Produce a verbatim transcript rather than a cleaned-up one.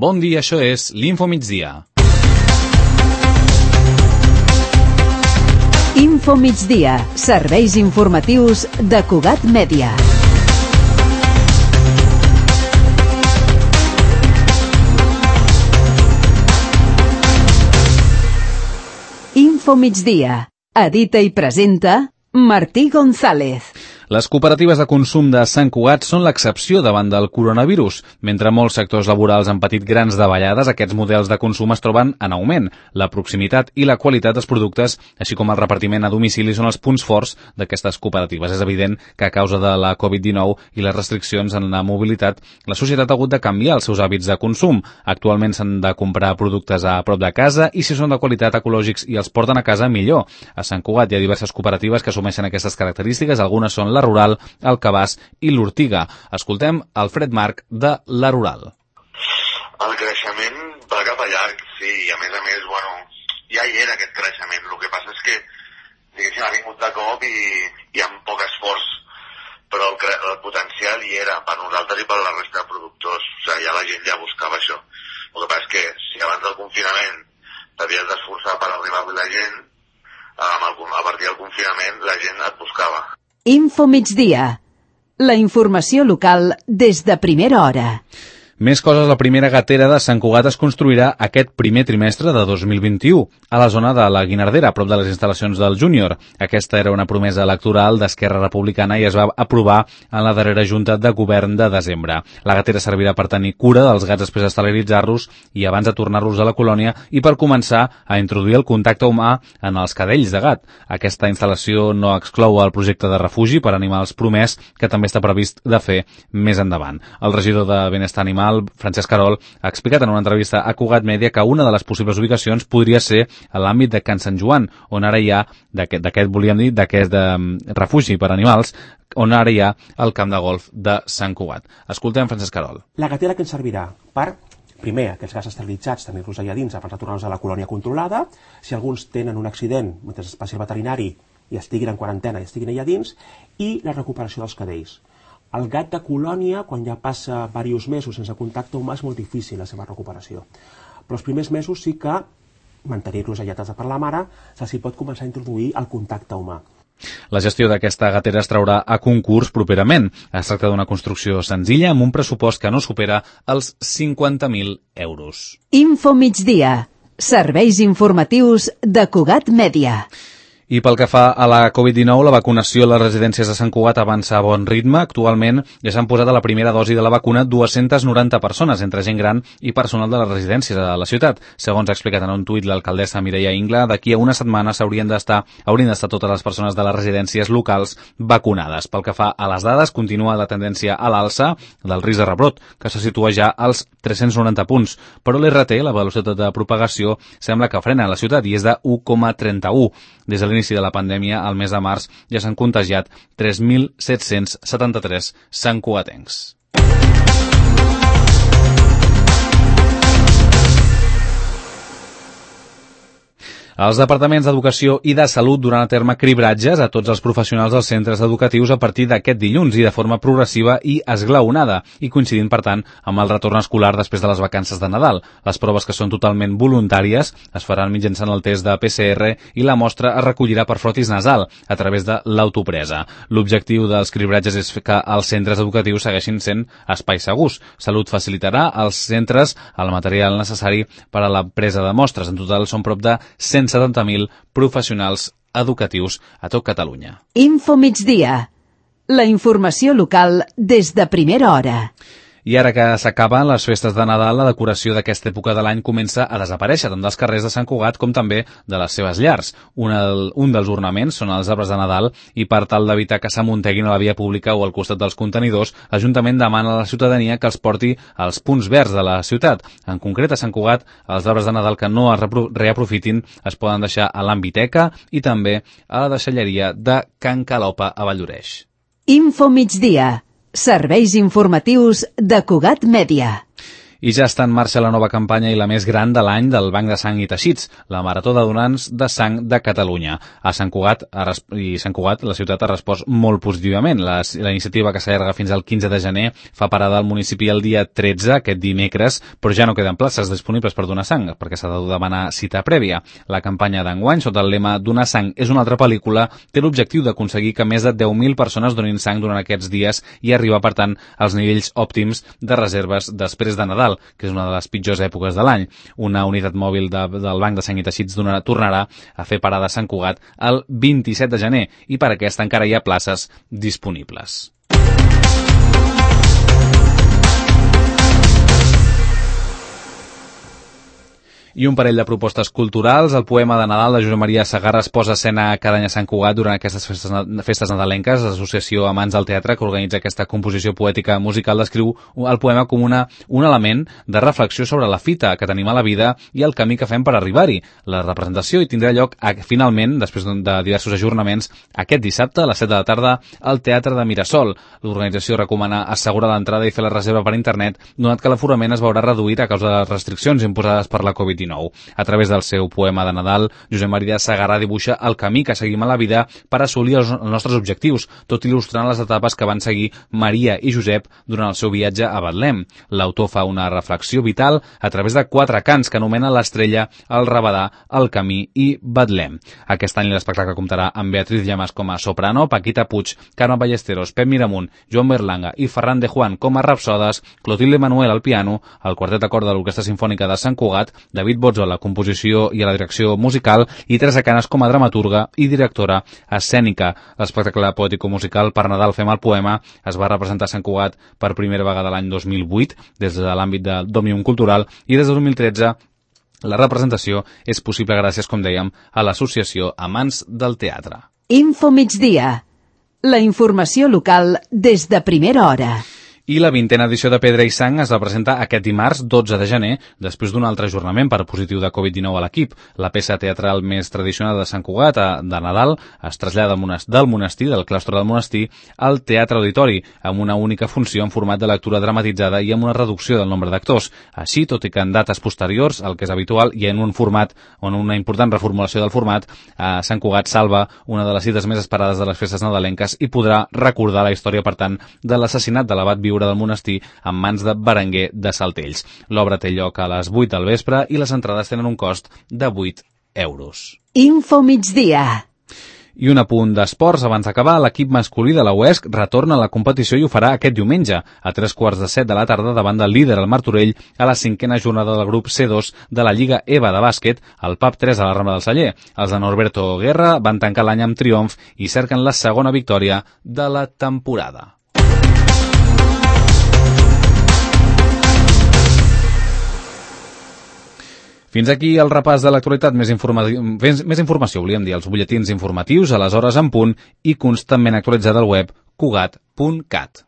Bon dia, això és l'Info Migdia. Info Migdia, serveis informatius de Cugat Mèdia. Info Migdia, edita i presenta Martí González. Les cooperatives de consum de Sant Cugat són l'excepció davant del coronavirus. Mentre molts sectors laborals han patit grans davallades, aquests models de consum es troben en augment. La proximitat i la qualitat dels productes, així com el repartiment a domicili, són els punts forts d'aquestes cooperatives. És evident que a causa de la covid dinou i les restriccions en la mobilitat, la societat ha hagut de canviar els seus hàbits de consum. Actualment s'han de comprar productes a prop de casa i si són de qualitat ecològics i els porten a casa, millor. A Sant Cugat hi ha diverses cooperatives que assumeixen aquestes característiques. Algunes són la Rural, el Cabàs i l'Ortiga. Escoltem Alfred Marc de la Rural. El creixement va cap a llarg, sí, i a més a més, bueno, ja hi era aquest creixement. El que passa és que, diguéssim, ha vingut de cop i, i amb poc esforç, però el, el potencial hi era per nosaltres i per la resta de productors. O sigui, ja la gent ja buscava això. El que passa és que si abans del confinament t'havies d'esforçar per arribar a la gent, amb el, a partir del confinament la gent et buscava. Info Migdia, la informació local des de primera hora. Més coses, la primera gatera de Sant Cugat es construirà aquest primer trimestre de dos mil vint-i-u a la zona de la Guinardera, a prop de les instal·lacions del Júnior. Aquesta era una promesa electoral d'Esquerra Republicana i es va aprovar en la darrera junta de govern de desembre. La gatera servirà per tenir cura dels gats després d'esterilitzar-los i abans de tornar-los a la colònia i per començar a introduir el contacte humà en els cadells de gat. Aquesta instal·lació no exclou el projecte de refugi per animals promès que també està previst de fer més endavant. El regidor de Benestar Animal, Francesc Carol, ha explicat en una entrevista a Cugat Mèdia que una de les possibles ubicacions podria ser a l'àmbit de Can Sant Joan, on ara hi ha, d'aquest volíem dir, d'aquest refugi per animals, on ara hi ha el camp de golf de Sant Cugat. Escoltem Francesc Carol. La gatera que ens servirà per, primer, aquests gats esterilitzats, tenir-los allà dins abans de tornar-los a la colònia controlada, si alguns tenen un accident mentre es passi al veterinari i estiguin en quarantena i estiguin allà dins, i la recuperació dels cadells. El gat de colònia, quan ja passa diversos mesos sense contacte humà, és molt difícil la seva recuperació. Però els primers mesos sí que mantenir-los allatats per la mare, s'hi pot començar a introduir el contacte humà. La gestió d'aquesta gatera es traurà a concurs properament. Es tracta d'una construcció senzilla amb un pressupost que no supera els cinquanta mil euros. Info Migdia, serveis informatius de Cugat Mèdia. I pel que fa a la covid dinou, la vacunació a les residències de Sant Cugat avança a bon ritme. Actualment ja s'han posat a la primera dosi de la vacuna dues-centes noranta persones, entre gent gran i personal de les residències de la ciutat. Segons ha explicat en un tuit l'alcaldessa Mireia Ingla, d'aquí a una setmana s'haurien d'estar haurien d'estar totes les persones de les residències locals vacunades. Pel que fa a les dades, continua la tendència a l'alça del risc de rebrot, que se situa ja als tres-cents noranta punts. Però l'R T, la velocitat de propagació, sembla que frena a la ciutat i és de u coma trenta-u. Des de l'inici de la pandèmia, al mes de març, ja s'han contagiat tres mil set-cents setanta-tres santcugatencs. Els departaments d'Educació i de Salut duran a terme cribratges a tots els professionals dels centres educatius a partir d'aquest dilluns i de forma progressiva i esglaonada, i coincidint, per tant, amb el retorn escolar després de les vacances de Nadal. Les proves, que són totalment voluntàries, es faran mitjançant el test de P C R i la mostra es recollirà per frotis nasal a través de l'autopresa. L'objectiu dels cribratges és que els centres educatius segueixin sent espais segurs. Salut facilitarà als centres el material necessari per a la presa de mostres. En total són prop de cent setanta mil professionals educatius a tot Catalunya. Info Migdia, la informació local des de primera hora. I ara que s'acaben les festes de Nadal, la decoració d'aquesta època de l'any comença a desaparèixer tant dels carrers de Sant Cugat com també de les seves llars. Un, el, un dels ornaments són els arbres de Nadal i per tal d'evitar que s'amunteguin a la via pública o al costat dels contenidors, l'Ajuntament demana a la ciutadania que els porti als punts verds de la ciutat. En concret, a Sant Cugat, els arbres de Nadal que no es reaprofitin es poden deixar a l'Ambiteca i també a la deixalleria de Can Calopa a Valldoreix. Info Migdia, serveis informatius de Cugat Mèdia. I ja està en marxa la nova campanya i la més gran de l'any del Banc de Sang i Teixits, la Marató de Donants de Sang de Catalunya. A Sant Cugat, a res... i Sant Cugat, la ciutat ha respost molt positivament. La, la iniciativa, que s'allarga fins al quinze de gener, fa parada al municipi el dia tretze, aquest dimecres, però ja no queden places disponibles per donar sang, perquè s'ha de demanar cita prèvia. La campanya d'enguany, sota el lema Donar sang és una altra pel·lícula, té l'objectiu d'aconseguir que més de deu mil persones donin sang durant aquests dies i arribar, per tant, als nivells òptims de reserves després de Nadal, que és una de les pitjors èpoques de l'any. Una unitat mòbil de, del Banc de Sang i Teixits donarà, tornarà a fer parada a Sant Cugat el vint-i-set de gener i per aquesta encara hi ha places disponibles. I un parell de propostes culturals. El poema de Nadal de Josep Maria Segarra es posa a escena cada any a Sant Cugat durant aquestes festes, festes nadalenques. L'associació Amants del Teatre, que organitza aquesta composició poètica musical, descriu el poema com una, un element de reflexió sobre la fita que tenim a la vida i el camí que fem per arribar-hi. La representació hi tindrà lloc, a, finalment, després de diversos ajornaments, aquest dissabte a les set de la tarda al Teatre de Mirasol. L'organització recomana assegurar l'entrada i fer la reserva per internet, donat que l'aforament es veurà reduït a causa de les restriccions imposades per la covid dinou. A través del seu poema de Nadal, Josep Maria Segarra dibuixa el camí que seguim a la vida per assolir els nostres objectius, tot il·lustrant les etapes que van seguir Maria i Josep durant el seu viatge a Betlem. L'autor fa una reflexió vital a través de quatre cants que anomena l'Estrella, el Rabadà, el Camí i Betlem. Aquest any l'espectacle comptarà amb Beatriz Llamas com a soprano, Paquita Puig, Carme Ballesteros, Pep Miramunt, Joan Berlanga i Ferran de Juan com a rapsodes, Clotilde Manuel al piano, el quartet de cor de l'Orquestra Simfònica de Sant Cugat, David Botzo a la composició i a la direcció musical i Teresa Canes com a dramaturga i directora escènica. L'espectacle poètico-musical Per Nadal fem el poema es va representar a Sant Cugat per primera vegada l'any dos mil vuit des de l'àmbit de d'Òmnium Cultural i des de dos mil tretze la representació és possible gràcies, com dèiem, a l'associació Amants del Teatre. Info Migdia. La informació local des de primera hora. I la vintena edició de Pedra i Sang es representa aquest dimarts dotze de gener, després d'un altre ajornament per positiu de covid dinou a l'equip. La peça teatral més tradicional de Sant Cugat, de Nadal, es trasllada del monestir, del claustre del monestir, al Teatre Auditori, amb una única funció en format de lectura dramatitzada i amb una reducció del nombre d'actors. Així, tot i que en dates posteriors, el que és habitual, i en un format, o en una important reformulació del format, eh, Sant Cugat salva una de les cites més esperades de les festes nadalenques i podrà recordar la història, per tant, de l'assassinat de l'abat Viure del monestir en mans de Berenguer de Saltells. L'obra té lloc a les vuit del vespre i les entrades tenen un cost de vuit euros. Info Migdia. I un apunt d'esports abans d'acabar, l'equip masculí de la U E S C retorna a la competició i ho farà aquest diumenge, a tres quarts de set de la tarda davant del líder, el Martorell, a la cinquena jornada del grup C dos de la Lliga EVA de bàsquet, al P A P tres a la Rambla del Celler. Els de Norberto Guerra van tancar l'any amb triomf i cerquen la segona victòria de la temporada. Fins aquí el repàs de l'actualitat. Més, informa... més informació, volíem dir, els butlletins informatius a les hores en punt i constantment actualitzada al web cugat punt cat.